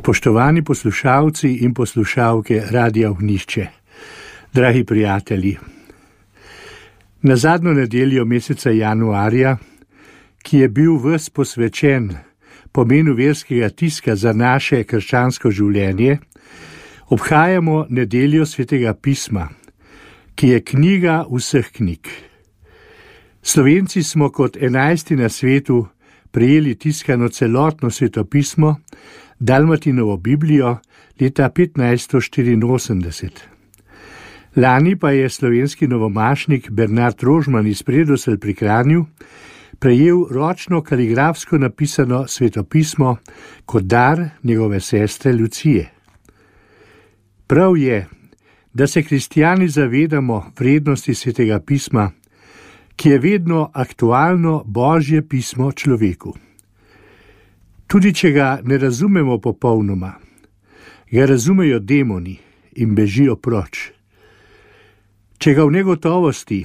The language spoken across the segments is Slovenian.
Spoštovani poslušalci in poslušalke Radia Ognjišče, dragi prijatelji. Na zadnjo nedeljo meseca januarja, ki je bil ves posvečen pomenu verskega tiska za naše krščansko življenje, obhajamo nedeljo Svetega pisma, ki je knjiga vseh knjig. Slovenci smo kot 11. na svetu prejeli tiskano celotno svetopismo, Dalmatinovo Biblijo, leta 1584. Lani pa je slovenski novomašnik Bernard Rožman iz Predoselj pri Kranju prejel ročno kaligrafsko napisano svetopismo kot dar njegove sestre Lucije. Prav je, da se kristjani zavedamo vrednosti Svetega pisma, ki je vedno aktualno Božje pismo človeku. Tudi če ga ne razumemo popolnoma, ga razumejo demoni in bežijo proč. Če ga v negotovosti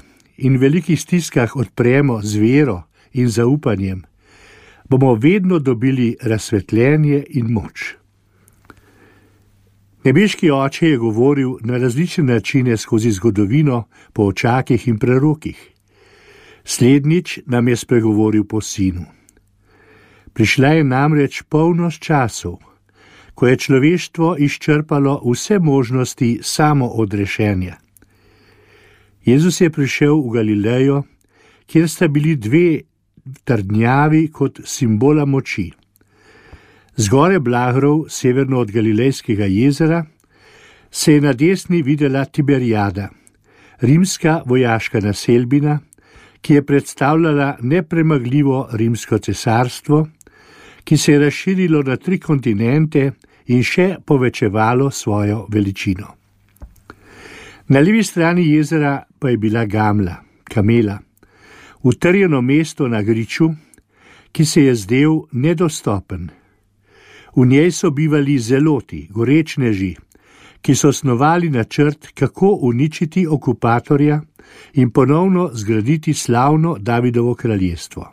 in velikih stiskah odpremo z vero in zaupanjem, bomo vedno dobili razsvetljenje in moč. Nebeški Oče je govoril na različne načine skozi zgodovino po očakih in prerokih. Slednjič nam je spregovoril po Sinu. Prišla je namreč polnost časov, ko je človeštvo izčrpalo vse možnosti samoodrešenja. Jezus je prišel v Galilejo, kjer sta bili dve trdnjavi kot simbola moči. Zgore Blahrov, severno od Galilejskega jezera, se je na desni videla Tiberijada, rimska vojaška naselbina, ki je predstavljala nepremagljivo rimsko cesarstvo, ki se je razširilo na 3 kontinente in še povečevalo svojo veličino. Na levi strani jezera pa je bila Gamla, kamela, utrjeno mesto na griču, ki se je zdel nedostopen. V njej so bivali zeloti, gorečneži, ki so snovali načrt, kako uničiti okupatorja in ponovno zgraditi slavno Davidovo kraljestvo.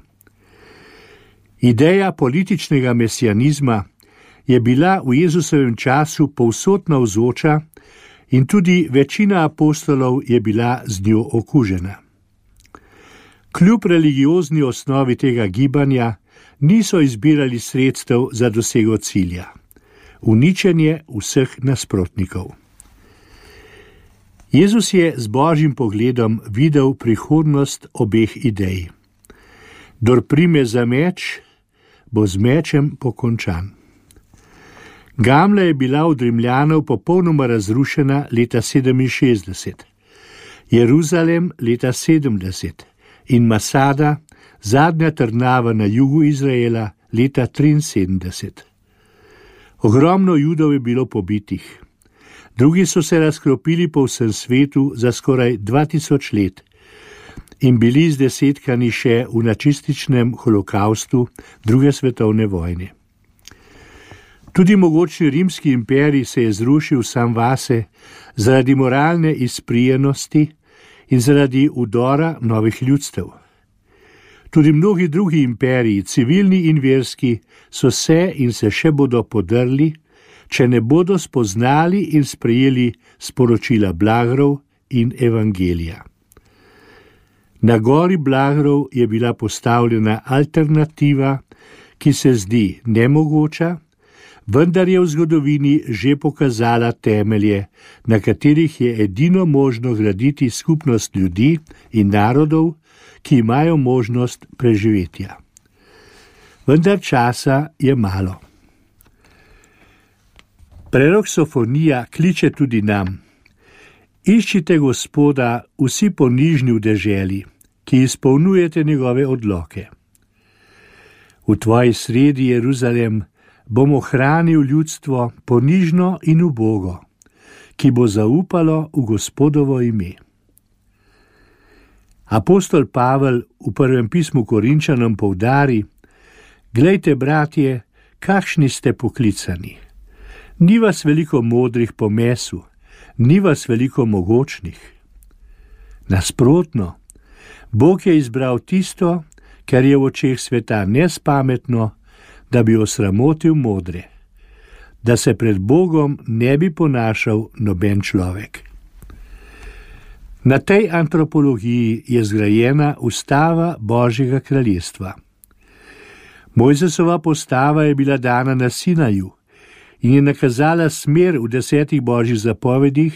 Ideja političnega mesijanizma je bila v Jezusovem času povsod navzoča in tudi večina apostolov je bila z njo okužena. Kljub religiozni osnovi tega gibanja niso izbirali sredstev za dosego cilja, uničenje vseh nasprotnikov. Jezus je z Božjim pogledom videl prihodnost obeh idej. Kdor prime za meč, bo z mečem pokončan. Gamla je bila od Rimljanov popolnoma razrušena leta 67, Jeruzalem leta 70 in Masada, zadnja trdnjava na jugu Izraela, leta 73. Ogromno Judov je bilo pobitih. Drugi so se razkropili po vsem svetu za skoraj 2000 let in bili zdesetkani še v nacističnem holokaustu druge svetovne vojne. Tudi mogočni rimski imperij se je zrušil sam vase zaradi moralne izprijenosti in zaradi udora novih ljudstev. Tudi mnogi drugi imperiji, civilni in verski, so se in se še bodo podrli, če ne bodo spoznali in sprejeli sporočila Blahrov in evangelija. Na gori Blahrov je bila postavljena alternativa, ki se zdi nemogoča, vendar je v zgodovini že pokazala temelje, na katerih je edino možno graditi skupnost ljudi in narodov, ki imajo možnost preživetja. Vendar časa je malo. Prerok Sofonija kliče tudi nam: Iščite Gospoda vsi ponižni v deželi, ki izpolnjujete njegove odloke. V tvoji sredi, Jeruzalem, bom ohranil ljudstvo ponižno in ubogo, ki bo zaupalo v Gospodovo ime. Apostol Pavel v prvem pismu Korinčanom poudari: Glejte, bratje, kakšni ste poklicani. Ni vas veliko modrih po mesu, ni vas veliko mogočnih. Nasprotno, Bog je izbral tisto, kar je v očeh sveta nespametno, da bi osramotil modre. da se pred Bogom ne bi ponašal noben človek. Na tej antropologiji je zgrajena ustava Božjega kraljestva. Mojzesova postava je bila dana na Sinaju in je nakazala smer v 10 božjih zapovedih,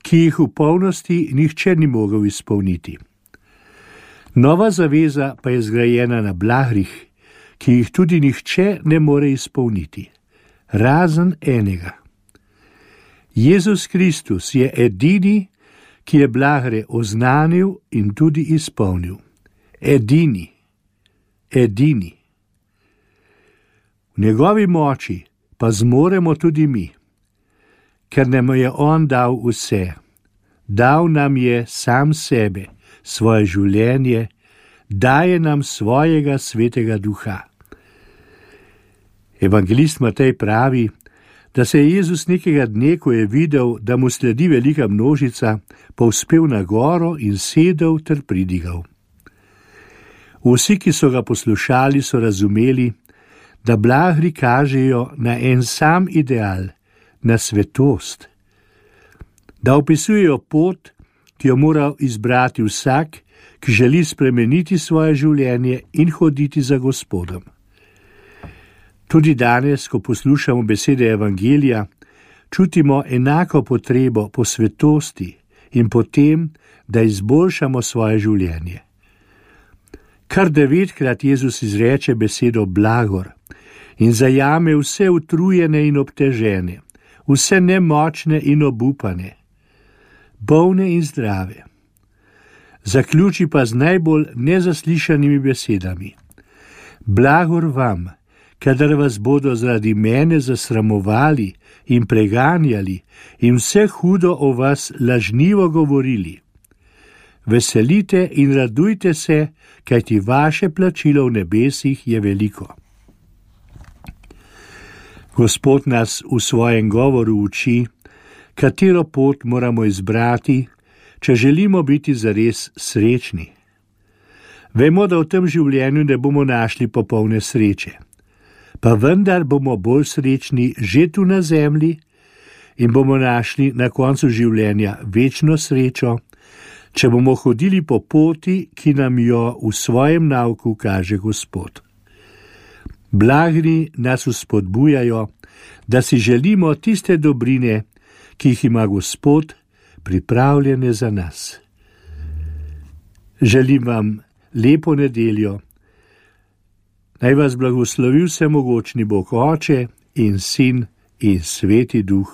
ki jih v polnosti nihče ni mogel izpolniti. Nova zaveza pa je zgrajena na blagrih, ki jih tudi nihče ne more izpolniti, razen enega. Jezus Kristus je edini, ki je blagre oznanil in tudi izpolnil. Edini. V njegovi moči pa zmoremo tudi mi, ker nam je on dal vse. Dal nam je sam sebe, svoje življenje, daje nam svojega svetega duha. Evangelist Matej pravi, da se je Jezus nekega dne, ko je videl, da mu sledi velika množica, povzpel na goro in sedel ter pridigal. Vsi, ki so ga poslušali, so razumeli, da blagri kažejo na en sam ideal, na svetost, da opisujejo pot, ki jo mora izbrati vsak, ki želi spremeniti svoje življenje in hoditi za Gospodom. Tudi danes, ko poslušamo besede Evangelija, čutimo enako potrebo po svetosti in po tem, da izboljšamo svoje življenje. Kar 9-krat Jezus izreče besedo blagor in zajame vse utrujene in obtežene, vse nemočne in obupane, bolne in zdrave. Zaključi pa z najbolj nezaslišanimi besedami. Blagor vam, kadar vas bodo zaradi mene zasramovali in preganjali in vse hudo o vas lažnivo govorili. Veselite in radujte se, kajti vaše plačilo v nebesih je veliko. Gospod nas v svojem govoru uči, katero pot moramo izbrati, če želimo biti zares srečni. Vemo, da v tem življenju ne bomo našli popolne sreče, pa vendar bomo bolj srečni že tu na zemlji in bomo našli na koncu življenja večno srečo, če bomo hodili po poti, ki nam jo v svojem nauku kaže Gospod. Blagri nas vzpodbujajo, da si želimo tiste dobrine, ki jih ima Gospod pripravljene za nas. Želim vam lepo nedeljo. Naj vas blagoslovi vsemogočni Bog Oče in Sin in Sveti Duh.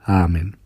Amen.